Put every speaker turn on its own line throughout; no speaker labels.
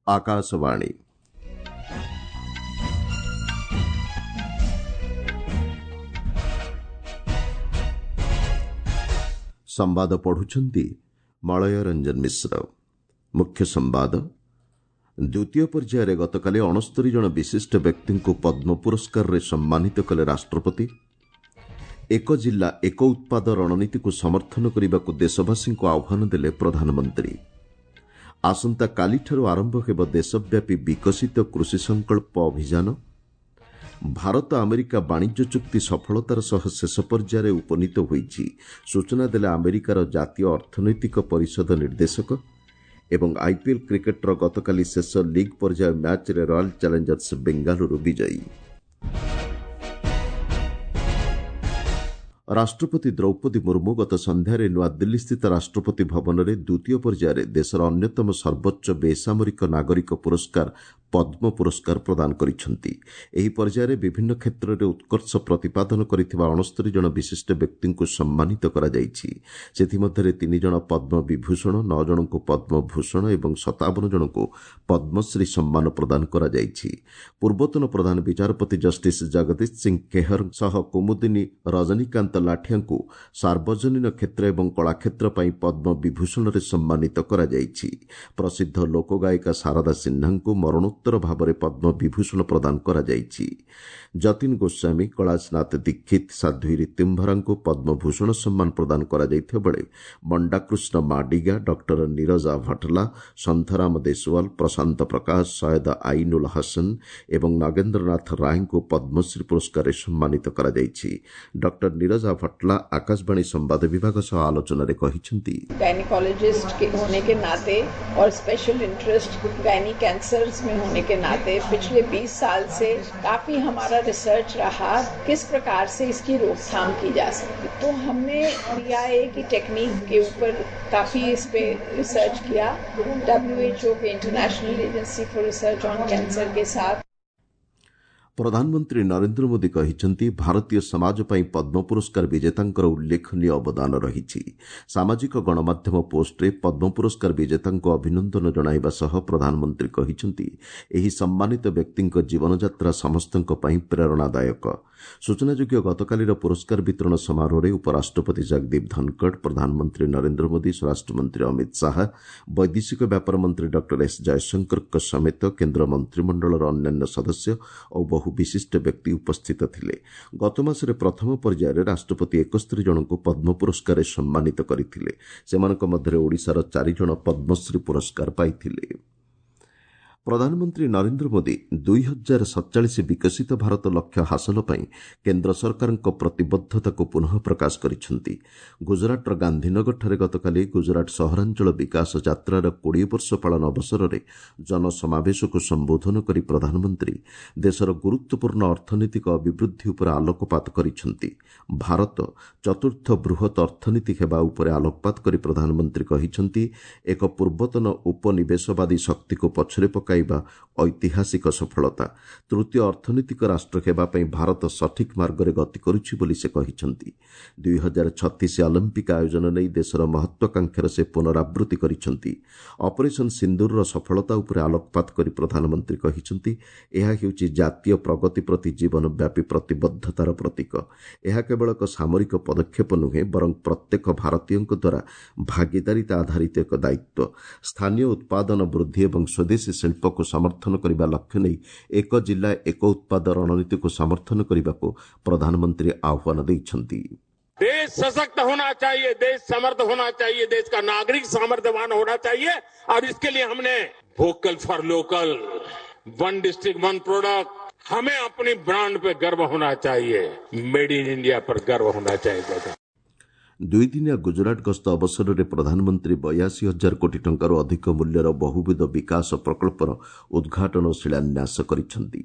ଆକାଶବାଣୀ। ସମ୍ବାଦ ପଢୁଛନ୍ତି ମଳୟ ରଞ୍ଜନ ମିଶ୍ର। ମୁଖ୍ୟ ସମ୍ବାଦ। ଦ୍ୱିତୀୟ ପର୍ଯ୍ୟାୟରେ ଗତକାଲି 69 ଜଣ ବିଶିଷ୍ଟ ବ୍ୟକ୍ତିଙ୍କୁ ପଦ୍ମ ପୁରସ୍କାରରେ ସମ୍ମାନିତ କଲେ ରାଷ୍ଟ୍ରପତି। ଏକ ଜିଲ୍ଲା ଏକ ଉତ୍ପାଦ ରଣନୀତିକୁ ସମର୍ଥନ କରିବାକୁ ଦେଶବାସୀଙ୍କୁ ଆହ୍ୱାନ ଦେଲେ ପ୍ରଧାନମନ୍ତ୍ରୀ। ଆସନ୍ତାକାଲିଠାରୁ ଆରମ୍ଭ ହେବ ଦେଶବ୍ୟାପୀ ବିକଶିତ କୃଷି ସଂକଳ୍ପ ଅଭିଯାନ। ଭାରତ ଆମେରିକା ବାଣିଜ୍ୟ ଚୁକ୍ତି ସଫଳତାର ସହ ଶେଷ ପର୍ଯ୍ୟାୟରେ ଉପନୀତ ହୋଇଛି, ସୂଚନା ଦେଲେ ଆମେରିକାର ଜାତୀୟ ଅର୍ଥନୈତିକ ପରିଷଦ ନିର୍ଦ୍ଦେଶକ। ଏବଂ ଆଇପିଏଲ୍ କ୍ରିକେଟ୍ର ଗତକାଲି ଶେଷ ଲିଗ୍ ପର୍ଯ୍ୟାୟ ମ୍ୟାଚ୍ରେ ରୟାଲ୍ ଚ୍ୟାଲେଞ୍ଜର୍ସ ବେଙ୍ଗାଲୁରୁ ବିଜୟୀ। ରାଷ୍ଟ୍ରପତି ଦ୍ରୌପଦୀ ମୁର୍ମୁ ଗତ ସନ୍ଧ୍ୟାରେ ନୂଆଦିଲ୍ଲୀସ୍ଥିତ ରାଷ୍ଟ୍ରପତି ଭବନରେ ଦ୍ୱିତୀୟ ପର୍ଯ୍ୟାୟରେ ଦେଶର ଅନ୍ୟତମ ସର୍ବୋଚ୍ଚ ବେସାମରିକ ନାଗରିକ ପୁରସ୍କାର ପଦ୍ମ ପୁରସ୍କାର ପ୍ରଦାନ କରିଛନ୍ତି। ଏହି ପର୍ଯ୍ୟାୟରେ ବିଭିନ୍ନ କ୍ଷେତ୍ରରେ ଉତ୍କର୍ଷ ପ୍ରତିପାଦନ କରିଥିବା 69 ଜଣ ବିଶିଷ୍ଟ ବ୍ୟକ୍ତିଙ୍କୁ ସମ୍ମାନିତ କରାଯାଇଛି। ସେଥିମଧ୍ୟରେ 3 ଜଣ ପଦ୍ମ ବିଭୂଷଣ, 9 ଜଣଙ୍କୁ ପଦ୍ମଭୂଷଣ ଏବଂ 57 ଜଣଙ୍କୁ ପଦ୍ମଶ୍ରୀ ସମ୍ମାନ ପ୍ରଦାନ କରାଯାଇଛି। ପୂର୍ବତନ ପ୍ରଧାନ ବିଚାରପତି ଜଷ୍ଟିସ୍ ଜଗଦୀଶ ସିଂ କେହର ସହ କୁମୁଦିନୀ ରଜନୀକାନ୍ତ ଲାଠିଆଙ୍କୁ ସାର୍ବଜନୀନ କ୍ଷେତ୍ର ଏବଂ କଳାକ୍ଷେତ୍ର ପାଇଁ ପଦ୍ମ ବିଭୂଷଣରେ ସମ୍ମାନିତ କରାଯାଇଛି। ପ୍ରସିଦ୍ଧ ଲୋକଗାୟିକା ଶାରଦା ସିହ୍ନାଙ୍କୁ ମରଣୋତ୍ତର ଭାବରେ ପଦ୍ମ ବିଭୂଷଣ ପ୍ରଦାନ କରାଯାଇଛି। ଯତୀନ ଗୋସ୍ୱାମୀ, କୈଳାସନାଥ ଦୀକ୍ଷିତ, ସାଧ୍ୱୀ ରିତୁମ୍ଭରାଙ୍କୁ ପଦ୍ମଭୂଷଣ ସମ୍ମାନ ପ୍ରଦାନ କରାଯାଇଥିବା ବେଳେ ମଣ୍ଡାକୃଷ୍ଣ ମାଡିଗା, ଡକ୍ଟର ନିରଜା ଭଟଲା, ସନ୍ଥରାମ ଦେଶୱାଲ, ପ୍ରଶାନ୍ତ ପ୍ରକାଶ, ସୟଦ ଆଇନୁଲ ହସନ ଏବଂ ନଗେନ୍ଦ୍ରନାଥ ରାୟଙ୍କୁ ପଦ୍ମଶ୍ରୀ ପୁରସ୍କାରରେ ସମ୍ମାନିତ କରାଯାଇଛି। ଡକ୍ଟର ନିରଜା ଭଟଲା ଆକାଶବାଣୀ ସମ୍ବାଦ ବିଭାଗ ସହ ଆଲୋଚନାରେ କହିଛନ୍ତି,
गायनिकोलॉजिस्ट के होने के नाते और स्पेशल इंटरेस्ट गायनी कैंसर्स में होने के नाते पिछले 20 साल से काफी हमारा रिसर्च रहा किस प्रकार से इसकी रोकथाम की जा सकती। तो हमने पीआईए की टेक्निक के ऊपर काफी इस पे रिसर्च किया, WHO के International Agency for Research on Cancer के साथ।
ପ୍ରଧାନମନ୍ତ୍ରୀ ନରେନ୍ଦ୍ର ମୋଦି କହିଛନ୍ତି, ଭାରତୀୟ ସମାଜ ପାଇଁ ପଦ୍ମ ପୁରସ୍କାର ବିଜେତାଙ୍କର ଉଲ୍ଲେଖନୀୟ ଅବଦାନ ରହିଛି। ସାମାଜିକ ଗଣମାଧ୍ୟମ ପୋଷ୍ଟରେ ପଦ୍ମ ପୁରସ୍କାର ବିଜେତାଙ୍କୁ ଅଭିନନ୍ଦନ ଜଣାଇବା ସହ ପ୍ରଧାନମନ୍ତ୍ରୀ କହିଛନ୍ତି, ଏହି ସମ୍ମାନିତ ବ୍ୟକ୍ତିଙ୍କ ଜୀବନଯାତ୍ରା ସମସ୍ତଙ୍କ ପାଇଁ ପ୍ରେରଣାଦାୟକ। ସୂଚନାଯୋଗ୍ୟ, ଗତକାଲିର ପୁରସ୍କାର ବିତରଣ ସମାରୋହରେ ଉପରାଷ୍ଟ୍ରପତି ଜଗଦୀପ ଧନଖଡ଼, ପ୍ରଧାନମନ୍ତ୍ରୀ ନରେନ୍ଦ୍ର ମୋଦି, ସ୍ୱରାଷ୍ଟ୍ରମନ୍ତ୍ରୀ ଅମିତ ଶାହା, ବୈଦେଶିକ ବ୍ୟାପାର ମନ୍ତ୍ରୀ ଡକ୍ଟର ଏସ୍ ଜୟଶଙ୍କରଙ୍କ ସମେତ କେନ୍ଦ୍ର ମନ୍ତ୍ରିମଣ୍ଡଳର ଅନ୍ୟାନ୍ୟ ସଦସ୍ୟ ଓ ବହୁ ବିଶିଷ୍ଟ ବ୍ୟକ୍ତି ଉପସ୍ଥିତ ଥିଲେ। ଗତମାସରେ ପ୍ରଥମ ପର୍ଯ୍ୟାୟରେ ରାଷ୍ଟ୍ରପତି 71 ଜଣଙ୍କୁ ପଦ୍ମ ପୁରସ୍କାରରେ ସମ୍ମାନିତ କରିଥିଲେ। ସେମାନଙ୍କ ମଧ୍ୟରେ ଓଡ଼ିଶାର 4 ଜଣ ପଦ୍ମଶ୍ରୀ ପୁରସ୍କାର ପାଇଥିଲେ। ପ୍ରଧାନମନ୍ତ୍ରୀ ନରେନ୍ଦ୍ର ମୋଦି 2047 ବିକଶିତ ଭାରତ ଲକ୍ଷ୍ୟ ହାସଲ ପାଇଁ କେନ୍ଦ୍ର ସରକାରଙ୍କ ପ୍ରତିବଦ୍ଧତାକୁ ପୁନଃ ପ୍ରକାଶ କରିଛନ୍ତି। ଗୁଜରାଟର ଗାନ୍ଧୀନଗରଠାରେ ଗତକାଲି ଗୁଜରାଟ ସହରାଞ୍ଚଳ ବିକାଶ ଯାତ୍ରାର 20 ବର୍ଷ ପାଳନ ଅବସରରେ ଜନସମାବେଶକୁ ସମ୍ବୋଧନ କରି ପ୍ରଧାନମନ୍ତ୍ରୀ ଦେଶର ଗୁରୁତ୍ୱପୂର୍ଣ୍ଣ ଅର୍ଥନୈତିକ ଅଭିବୃଦ୍ଧି ଉପରେ ଆଲୋକପାତ କରିଛନ୍ତି। ଭାରତ ଚତୁର୍ଥ ବୃହତ୍ ଅର୍ଥନୀତି ହେବା ଉପରେ ଆଲୋକପାତ କରି ପ୍ରଧାନମନ୍ତ୍ରୀ କହିଛନ୍ତି, ଏକ ପୂର୍ବତନ ଉପନିବେଶବାଦୀ ଶକ୍ତିକୁ ପଛରେ ପକାଇବା ଐତିହାସିକ ସଫଳତା। ତୃତୀୟ ଅର୍ଥନୈତିକ ରାଷ୍ଟ୍ର ହେବା ପାଇଁ ଭାରତ ସଠିକ୍ ମାର୍ଗରେ ଗତି କରୁଛି ବୋଲି ସେ କହିଛନ୍ତି। 2036 ଅଲିମ୍ପିକ୍ ଆୟୋଜନ ନେଇ ଦେଶର ମହତ୍ୱାକାଂକ୍ଷାର ସେ ପୁନରାବୃତ୍ତି କରିଛନ୍ତି। ଅପରେସନ୍ ସିନ୍ଦୁରର ସଫଳତା ଉପରେ ଆଲୋକପାତ କରି ପ୍ରଧାନମନ୍ତ୍ରୀ କହିଛନ୍ତି, ଏହା ହେଉଛି ଜାତୀୟ ପ୍ରଗତି ପ୍ରତି ଜୀବନବ୍ୟାପୀ ପ୍ରତିବଦ୍ଧତାର ପ୍ରତୀକ। ଏହା କେବଳ ଏକ ସାମରିକ ପଦକ୍ଷେପ ନୁହେଁ, ବରଂ ପ୍ରତ୍ୟେକ ଭାରତୀୟଙ୍କ ଦ୍ୱାରା ଭାଗିଦାରିତା ଆଧାରିତ ଏକ ଦାୟିତ୍ୱ। ସ୍ଥାନୀୟ ଉତ୍ପାଦନ ବୃଦ୍ଧି ଏବଂ ସ୍ୱଦେଶୀ ଶିଳ୍ପକୁ ସମର୍ଥନ କରିବା ଲକ୍ଷ୍ୟ ନେଇ ଏକ ଜିଲ୍ଲା ଏକ ଉତ୍ପାଦ ରଣନୀତିକୁ ସମର୍ଥନ କରିବାକୁ ପ୍ରଧାନମନ୍ତ୍ରୀ ଆହ୍ୱାନ ଦେଇଛନ୍ତି।
देश सशक्त होना चाहिए, देश समर्थ होना चाहिए, देश का नागरिक सामर्थ्यवान होना चाहिए और इसके लिए हमने vocal for local, one district one product, हमें अपनी ब्रांड पे गर्व होना चाहिए, मेड इन इंडिया पर गर्व होना चाहिए।
ଦୁଇଦିନିଆ ଗୁଜରାଟ ଗସ୍ତ ଅବସରରେ ପ୍ରଧାନମନ୍ତ୍ରୀ 82 ହଜାର କୋଟି ଟଙ୍କାରୁ ଅଧିକ ମୂଲ୍ୟର ବହୁବିଧ ବିକାଶ ପ୍ରକଳ୍ପର ଉଦ୍ଘାଟନ ଓ ଶିଳାନ୍ୟାସ କରିଛନ୍ତି।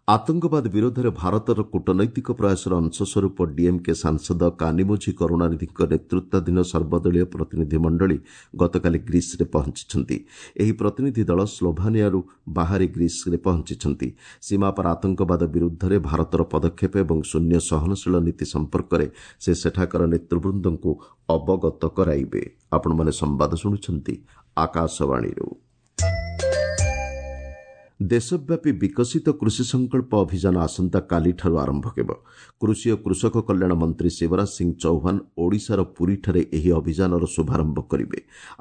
ଆତଙ୍କବାଦ ବିରୋଧରେ ଭାରତର କୂଟନୈତିକ ପ୍ରୟାସର ଅଂଶସ୍ୱରୂପ ଡିଏମ୍କେ ସାଂସଦ କାନିମୋଝି କରୁଣାନିଧିଙ୍କ ନେତୃତ୍ୱାଧୀନ ସର୍ବଦଳୀୟ ପ୍ରତିନିଧି ମଣ୍ଡଳୀ ଗତକାଲି ଗ୍ରୀସ୍ରେ ପହଞ୍ଚିଛନ୍ତି। ଏହି ପ୍ରତିନିଧି ଦଳ ସ୍ଲୋଭାନିଆରୁ ବାହାରି ଗ୍ରୀସ୍ରେ ପହଞ୍ଚିଛନ୍ତି। ସୀମାପାର ଆତଙ୍କବାଦ ବିରୁଦ୍ଧରେ ଭାରତର ପଦକ୍ଷେପ ଏବଂ ଶୂନ୍ୟ ସହନଶୀଳ ନୀତି ସମ୍ପର୍କରେ ସେ ସେଠାକାର ନେତୃବୃନ୍ଦଙ୍କୁ ଅବଗତ କରାଇବେ। ଆପଣମାନେ ସମ୍ବାଦ ଶୁଣୁଛନ୍ତି ଆକାଶବାଣୀରୁ। ଦେଶବ୍ୟାପୀ ବିକଶିତ କୃଷି ସଂକଳ୍ପ ଅଭିଯାନ ଆସନ୍ତାକାଲିଠାରୁ ଆରମ୍ଭ ହେବ। କୃଷି ଓ କୃଷକ କଲ୍ୟାଣ ମନ୍ତ୍ରୀ ଶିବରାଜ ସିଂ ଚୌହାନ ଓଡ଼ିଶାର ପୁରୀଠାରେ ଏହି ଅଭିଯାନର ଶୁଭାରମ୍ଭ କରିବେ।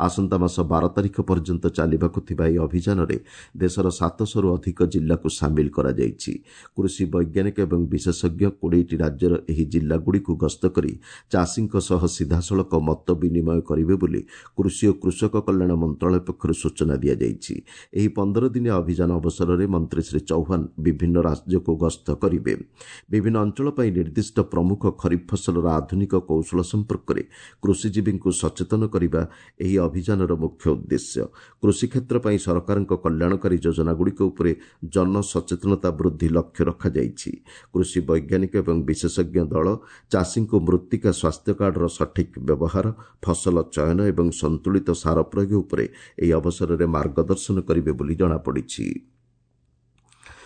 ଆସନ୍ତା ମାସ 12 ତାରିଖ ପର୍ଯ୍ୟନ୍ତ ଚାଲିବାକୁ ଥିବା ଏହି ଅଭିଯାନରେ ଦେଶର 700ରୁ ଅଧିକ ଜିଲ୍ଲାକୁ ସାମିଲ କରାଯାଇଛି। କୃଷି ବୈଜ୍ଞାନିକ ଏବଂ ବିଶେଷଜ୍ଞ 20ଟି ରାଜ୍ୟର ଏହି ଜିଲ୍ଲାଗୁଡ଼ିକୁ ଗସ୍ତ କରି ଚାଷୀଙ୍କ ସହ ସିଧାସଳଖ ମତ ବିନିମୟ କରିବେ ବୋଲି କୃଷି ଓ କୃଷକ କଲ୍ୟାଣ ମନ୍ତ୍ରଣାଳୟ ପକ୍ଷରୁ ସୂଚନା ଦିଆଯାଇଛି। ଏହି 15 ଦିନିଆ ଅଭିଯାନ ଅବସରରେ ମନ୍ତ୍ରୀ ଶ୍ରୀ ଚୌହାନ ବିଭିନ୍ନ ରାଜ୍ୟକୁ ଗସ୍ତ କରିବେ। ବିଭିନ୍ନ ଅଞ୍ଚଳ ପାଇଁ ନିର୍ଦ୍ଦିଷ୍ଟ ପ୍ରମୁଖ ଖରିଫ ଫସଲର ଆଧୁନିକ କୌଶଳ ସମ୍ପର୍କରେ କୃଷିଜୀବୀଙ୍କୁ ସଚେତନ କରିବା ଏହି ଅଭିଯାନର ମୁଖ୍ୟ ଉଦ୍ଦେଶ୍ୟ। କୃଷିକ୍ଷେତ୍ର ପାଇଁ ସରକାରଙ୍କ କଲ୍ୟାଣକାରୀ ଯୋଜନାଗୁଡ଼ିକ ଉପରେ ଜନସଚେତନତା ବୃଦ୍ଧି ଲକ୍ଷ୍ୟ ରଖାଯାଇଛି। କୃଷି ବୈଜ୍ଞାନିକ ଏବଂ ବିଶେଷଜ୍ଞ ଦଳ ଚାଷୀଙ୍କୁ ମୃତ୍ତିକା ସ୍ୱାସ୍ଥ୍ୟ କାର୍ଡର ସଠିକ୍ ବ୍ୟବହାର, ଫସଲ ଚୟନ ଏବଂ ସନ୍ତୁଳିତ ସାର ପ୍ରୟୋଗ ଉପରେ ଏହି ଅବସରରେ ମାର୍ଗଦର୍ଶନ କରିବେ ବୋଲି ଜଣାପଡ଼ିଛି।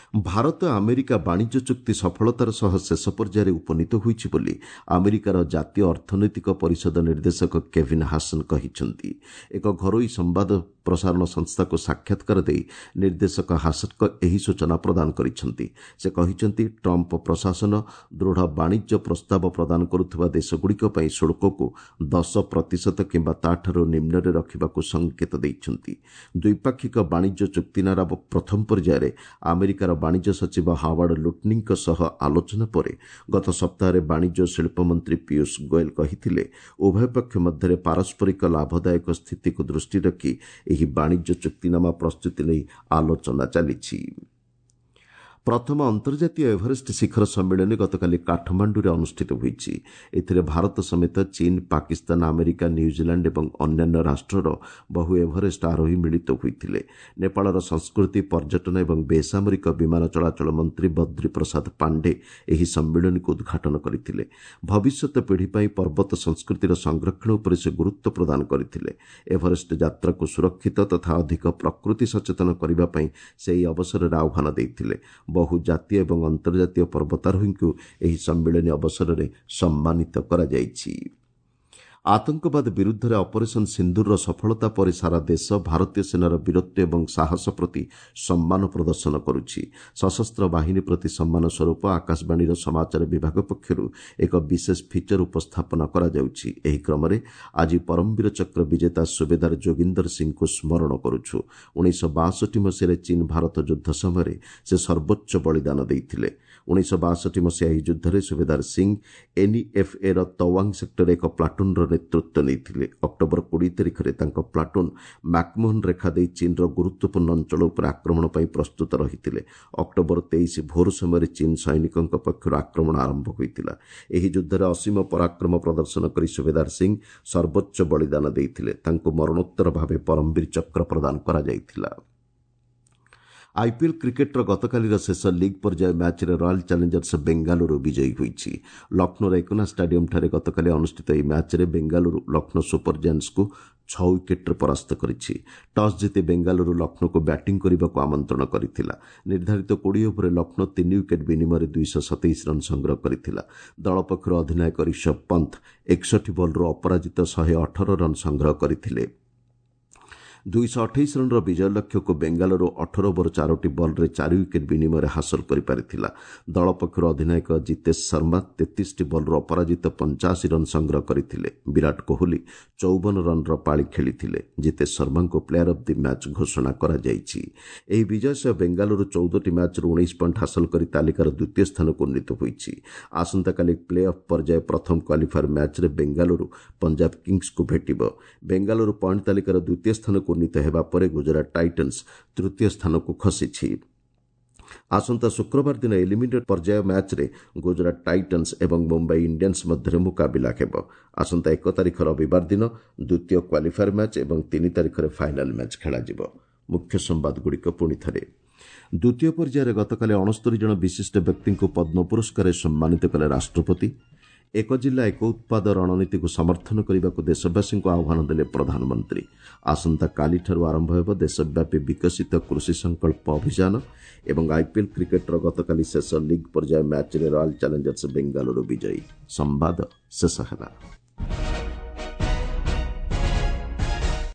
ଭାରତ ଆମେରିକା ବାଣିଜ୍ୟ ଚୁକ୍ତି ସଫଳତାର ସହ ଶେଷ ପର୍ଯ୍ୟାୟରେ ଉପନୀତ ହୋଇଛି ବୋଲି ଆମେରିକାର ଜାତୀୟ ଅର୍ଥନୈତିକ ପରିଷଦ ନିର୍ଦ୍ଦେଶକ କେଭିନ୍ ହାସନ୍ କହିଛନ୍ତି। ଏକ ଘରୋଇ ସମ୍ବାଦ ପ୍ରସାରଣ ସଂସ୍ଥାକୁ ସାକ୍ଷାତକାର ଦେଇ ନିର୍ଦ୍ଦେଶକ ହାସନ୍ଙ୍କ ଏହି ସୂଚନା ପ୍ରଦାନ କରିଛନ୍ତି। ସେ କହିଛନ୍ତି, ଟ୍ରମ୍ପ ପ୍ରଶାସନ ଦୃଢ଼ ବାଣିଜ୍ୟ ପ୍ରସ୍ତାବ ପ୍ରଦାନ କରୁଥିବା ଦେଶଗୁଡ଼ିକ ପାଇଁ ଶୁଳ୍କକୁ 10% କିମ୍ବା ତାଠାରୁ ନିମ୍ନରେ ରଖିବାକୁ ସଙ୍କେତ ଦେଇଛନ୍ତି। ଦ୍ୱିପାକ୍ଷିକ ବାଣିଜ୍ୟ ଚୁକ୍ତିନାମା ପ୍ରଥମ ପର୍ଯ୍ୟାୟରେ ଆମେରିକାର ବାଣିଜ୍ୟ ସଚିବ ହାୱାର୍ଡ ଲୁଟନିଙ୍କ ସହ ଆଲୋଚନା ପରେ ଗତ ସପ୍ତାହରେ ବାଣିଜ୍ୟ ଓ ଶିଳ୍ପ ମନ୍ତ୍ରୀ ପୀୟୁଷ ଗୋଏଲ କହିଥିଲେ, ଉଭୟ ପକ୍ଷ ମଧ୍ୟରେ ପାରସ୍ପରିକ ଲାଭଦାୟକ ସ୍ଥିତିକୁ ଦୃଷ୍ଟିରେ ରଖି ଏହି ବାଣିଜ୍ୟ ଚୁକ୍ତିନାମା ପ୍ରସ୍ତୁତି ନେଇ ଆଲୋଚନା ଚାଲିଛି। ପ୍ରଥମ ଅନ୍ତର୍ଜାତୀୟ ଏଭରେଷ୍ଟ ଶିଖର ସମ୍ମିଳନୀ ଗତକାଲି କାଠମାଣ୍ଡୁରେ ଅନୁଷ୍ଠିତ ହୋଇଛି। ଏଥିରେ ଭାରତ ସମେତ ଚୀନ, ପାକିସ୍ତାନ, ଆମେରିକା, ନ୍ୟୁଜିଲାଣ୍ଡ ଏବଂ ଅନ୍ୟାନ୍ୟ ରାଷ୍ଟ୍ରର ବହୁ ଏଭରେଷ୍ଟ ଆରୋହୀ ମିଳିତ ହୋଇଥିଲେ। ନେପାଳର ସଂସ୍କୃତି, ପର୍ଯ୍ୟଟନ ଏବଂ ବେସାମରିକ ବିମାନ ଚଳାଚଳ ମନ୍ତ୍ରୀ ବଦ୍ରି ପ୍ରସାଦ ପାଣ୍ଡେ ଏହି ସମ୍ମିଳନୀକୁ ଉଦ୍ଘାଟନ କରିଥିଲେ। ଭବିଷ୍ୟତ ପିଢ଼ି ପାଇଁ ପର୍ବତ ସଂସ୍କୃତିର ସଂରକ୍ଷଣ ଉପରେ ସେ ଗୁରୁତ୍ୱ ପ୍ରଦାନ କରିଥିଲେ। ଏଭରେଷ୍ଟ ଯାତ୍ରାକୁ ସୁରକ୍ଷିତ ତଥା ଅଧିକ ପ୍ରକୃତି ସଚେତନ କରିବା ପାଇଁ ସେ ଏହି ଅବସରରେ ଆହ୍ୱାନ ଦେଇଥିଲେ। ବହୁ ଜାତୀୟ ଏବଂ ଅନ୍ତର୍ଜାତୀୟ ପର୍ବତାରୋହୀଙ୍କୁ ଏହି ସମ୍ମିଳନୀ ଅବସରରେ ସମ୍ମାନିତ କରାଯାଇଛି। ଆତଙ୍କବାଦ ବିରୁଦ୍ଧରେ ଅପରେସନ୍ ସିନ୍ଦୁରର ସଫଳତା ପରେ ସାରା ଦେଶ ଭାରତୀୟ ସେନାର ବୀରତ୍ୱ ଏବଂ ସାହସ ପ୍ରତି ସମ୍ମାନ ପ୍ରଦର୍ଶନ କରୁଛି। ସଶସ୍ତ୍ର ବାହିନୀ ପ୍ରତି ସମ୍ମାନ ସ୍ୱରୂପ ଆକାଶବାଣୀର ସମାଚାର ବିଭାଗ ପକ୍ଷରୁ ଏକ ବିଶେଷ ଫିଚର ଉପସ୍ଥାପନା କରାଯାଉଛି। ଏହି କ୍ରମରେ ଆଜି ପରମବୀର ଚକ୍ର ବିଜେତା ସୁବେଦାର ଯୋଗିନ୍ଦର ସିଂଙ୍କୁ ସ୍ମରଣ କରୁଛୁ। 1962 ମସିହାରେ ଚୀନ ଭାରତ ଯୁଦ୍ଧ ସମୟରେ ସେ ସର୍ବୋଚ୍ଚ ବଳିଦାନ ଦେଇଥିଲେ। 1962 ମସିହା ଏହି ଯୁଦ୍ଧରେ ସୁବେଦାର ସିଂ ଏନ୍ଇଏଫ୍ଏର ତୱାଙ୍ଗ ସେକ୍ଟରରେ ଏକ ପ୍ଲାଟୁନ୍ର ନେତୃତ୍ୱ ନେଇଥିଲେ। ଅକ୍ଟୋବର 20 ତାରିଖରେ ତାଙ୍କ ପ୍ଲାଟୁନ୍ ମାକ୍ମୋହନ ରେଖା ଦେଇ ଚୀନର ଗୁରୁତ୍ୱପୂର୍ଣ୍ଣ ଅଞ୍ଚଳ ଉପରେ ଆକ୍ରମଣ ପାଇଁ ପ୍ରସ୍ତୁତ ରହିଥିଲେ। ଅକ୍ଟୋବର 23 ଭୋର ସମୟରେ ଚୀନ ସୈନିକଙ୍କ ପକ୍ଷରୁ ଆକ୍ରମଣ ଆରମ୍ଭ ହୋଇଥିଲା। ଏହି ଯୁଦ୍ଧରେ ଅସୀମ ପରାକ୍ରମ ପ୍ରଦର୍ଶନ କରି ସୁବେଦାର ସିଂ ସର୍ବୋଚ୍ଚ ବଳିଦାନ ଦେଇଥିଲେ। ତାଙ୍କୁ ମରଣୋତ୍ତର ଭାବେ ପରମବୀର ଚକ୍ର ପ୍ରଦାନ କରାଯାଇଥିଲା। ଆଇପିଏଲ୍ କ୍ରିକେଟ୍ର ଗତକାଲିର ଶେଷ ଲିଗ୍ ପର୍ଯ୍ୟାୟ ମ୍ୟାଚ୍ରେ ରୟାଲ୍ ଚ୍ୟାଲେଞ୍ଜର୍ସ ବେଙ୍ଗାଲୁରୁ ବିଜୟୀ ହୋଇଛି। ଲକ୍ଷ୍ନୌର ଏକନା ଷ୍ଟାଡିୟମ୍ଠାରେ ଗତକାଲି ଅନୁଷ୍ଠିତ ଏହି ମ୍ୟାଚ୍ରେ ବେଙ୍ଗାଲୁରୁ ଲକ୍ଷ୍ନୌ ସୁପର ଜାଏଣ୍ଟସ୍କୁ 6 ୱିକେଟ୍ରେ ପରାସ୍ତ କରିଛି। ଟସ୍ ଜିତି ବେଙ୍ଗାଲୁରୁ ଲକ୍ଷ୍ନୌକୁ ବ୍ୟାଟିଂ କରିବାକୁ ଆମନ୍ତ୍ରଣ କରିଥିଲା। ନିର୍ଦ୍ଧାରିତ 20 ଓଭରରେ ଲକ୍ଷ୍ନୌ 3 ୱିକେଟ୍ ବିନିମୟରେ 227 ରନ୍ ସଂଗ୍ରହ କରିଥିଲା। ଦଳ ପକ୍ଷରୁ ଅଧିନାୟକ ରିଷଭ ପନ୍ଥ 61 ବଲ୍ରୁ ଅପରାଜିତ 118 ରନ୍ ସଂଗ୍ରହ କରିଥିଲେ। 228 ରନ୍ର ବିଜୟ ଲକ୍ଷ୍ୟକୁ ବେଙ୍ଗାଲୁରୁ 18 ଓଭର 4ଟି ବଲ୍ରେ 4 ୱିକେଟ୍ ବିନିମୟରେ ହାସଲ କରିପାରିଥିଲା। ଦଳ ପକ୍ଷରୁ ଅଧିନାୟକ ଜିତେଶ ଶର୍ମା 33ଟି ବଲ୍ରୁ ଅପରାଜିତ 85 ରନ୍ ସଂଗ୍ରହ କରିଥିଲେ। ବିରାଟ କୋହଲି 54 ରନ୍ର ପାଳି ଖେଳିଥିଲେ। ଜିତେଶ ଶର୍ମାଙ୍କୁ ପ୍ଲେୟାର ଅଫ୍ the match ଘୋଷଣା କରାଯାଇଛି। ଏହି ବିଜୟ ସହ ବେଙ୍ଗାଲୁରୁ 14ଟି ମ୍ୟାଚ୍ରୁ 19 ପଏଣ୍ଟ ହାସଲ କରି ତାଲିକାର ଦ୍ୱିତୀୟ ସ୍ଥାନକୁ ଉନ୍ନୀତ ହୋଇଛି। ଆସନ୍ତାକାଲି ପ୍ଲେ ଅଫ୍ ପର୍ଯ୍ୟାୟ ପ୍ରଥମ କ୍ୱାଲିଫାୟର ମ୍ୟାଚ୍ରେ ବେଙ୍ଗାଲୁରୁ ପଞ୍ଜାବ କିଙ୍ଗସ୍କୁ ଭେଟିବ। ବେଙ୍ଗାଲୁରୁ ପଏଣ୍ଟ ତାଲିକାର ଦ୍ୱିତୀୟ ସ୍ଥାନକୁ ଉନ୍ନୀତ ହେବା ପରେ ଗୁଜରାଟ ଟାଇଟନ୍ସ ତୃତୀୟ ସ୍ଥାନକୁ ଖସିଛି। ଆସନ୍ତା ଶୁକ୍ରବାର ଦିନ ଏଲିମିନେଟ୍ ପର୍ଯ୍ୟାୟ ମ୍ୟାଚ୍ରେ ଗୁଜରାଟ ଟାଇଟନ୍ସ ଏବଂ ମୁମ୍ବାଇ ଇଣ୍ଡିଆନ୍ସ ମଧ୍ୟରେ ମୁକାବିଲା ହେବ। ଆସନ୍ତା 1 ତାରିଖ ରବିବାର ଦିନ ଦ୍ୱିତୀୟ କ୍ୱାଲିଫାୟର ମ୍ୟାଚ୍ ଏବଂ 3 ତାରିଖରେ ଫାଇନାଲ୍ ମ୍ୟାଚ୍ ଖେଳାଯିବ। ମୁଖ୍ୟ ସମ୍ବାଦଗୁଡ଼ିକ ପୁଣି ଥରେ। ଦ୍ୱିତୀୟ ପର୍ଯ୍ୟାୟରେ ଗତକାଲି 69 ଜଣ ବିଶିଷ୍ଟ ବ୍ୟକ୍ତିଙ୍କୁ ପଦ୍ମ ପୁରସ୍କାରରେ ସମ୍ମାନିତ କଲେ ରାଷ୍ଟ୍ରପତି। ଏକ ଜିଲ୍ଲା ଏକ ଉତ୍ପାଦ ରଣନୀତିକୁ ସମର୍ଥନ କରିବାକୁ ଦେଶବାସୀଙ୍କୁ ଆହ୍ୱାନ ଦେଲେ ପ୍ରଧାନମନ୍ତ୍ରୀ। ଆସନ୍ତାକାଲିଠାରୁ ଆରମ୍ଭ ହେବ ଦେଶବ୍ୟାପୀ ବିକଶିତ କୃଷି ସଂକଳ୍ପ ଅଭିଯାନ ଏବଂ ଆଇପିଏଲ୍ କ୍ରିକେଟ୍ର ଗତକାଲି ଶେଷ ଲିଗ୍ ପର୍ଯ୍ୟାୟ ମ୍ୟାଚ୍ରେ ରୟାଲ୍ ଚ୍ୟାଲେଞ୍ଜର୍ସ ବେଙ୍ଗାଲୁରୁ ବିଜୟୀ। ସମ୍ବାଦ ଶେଷ ହେଲା।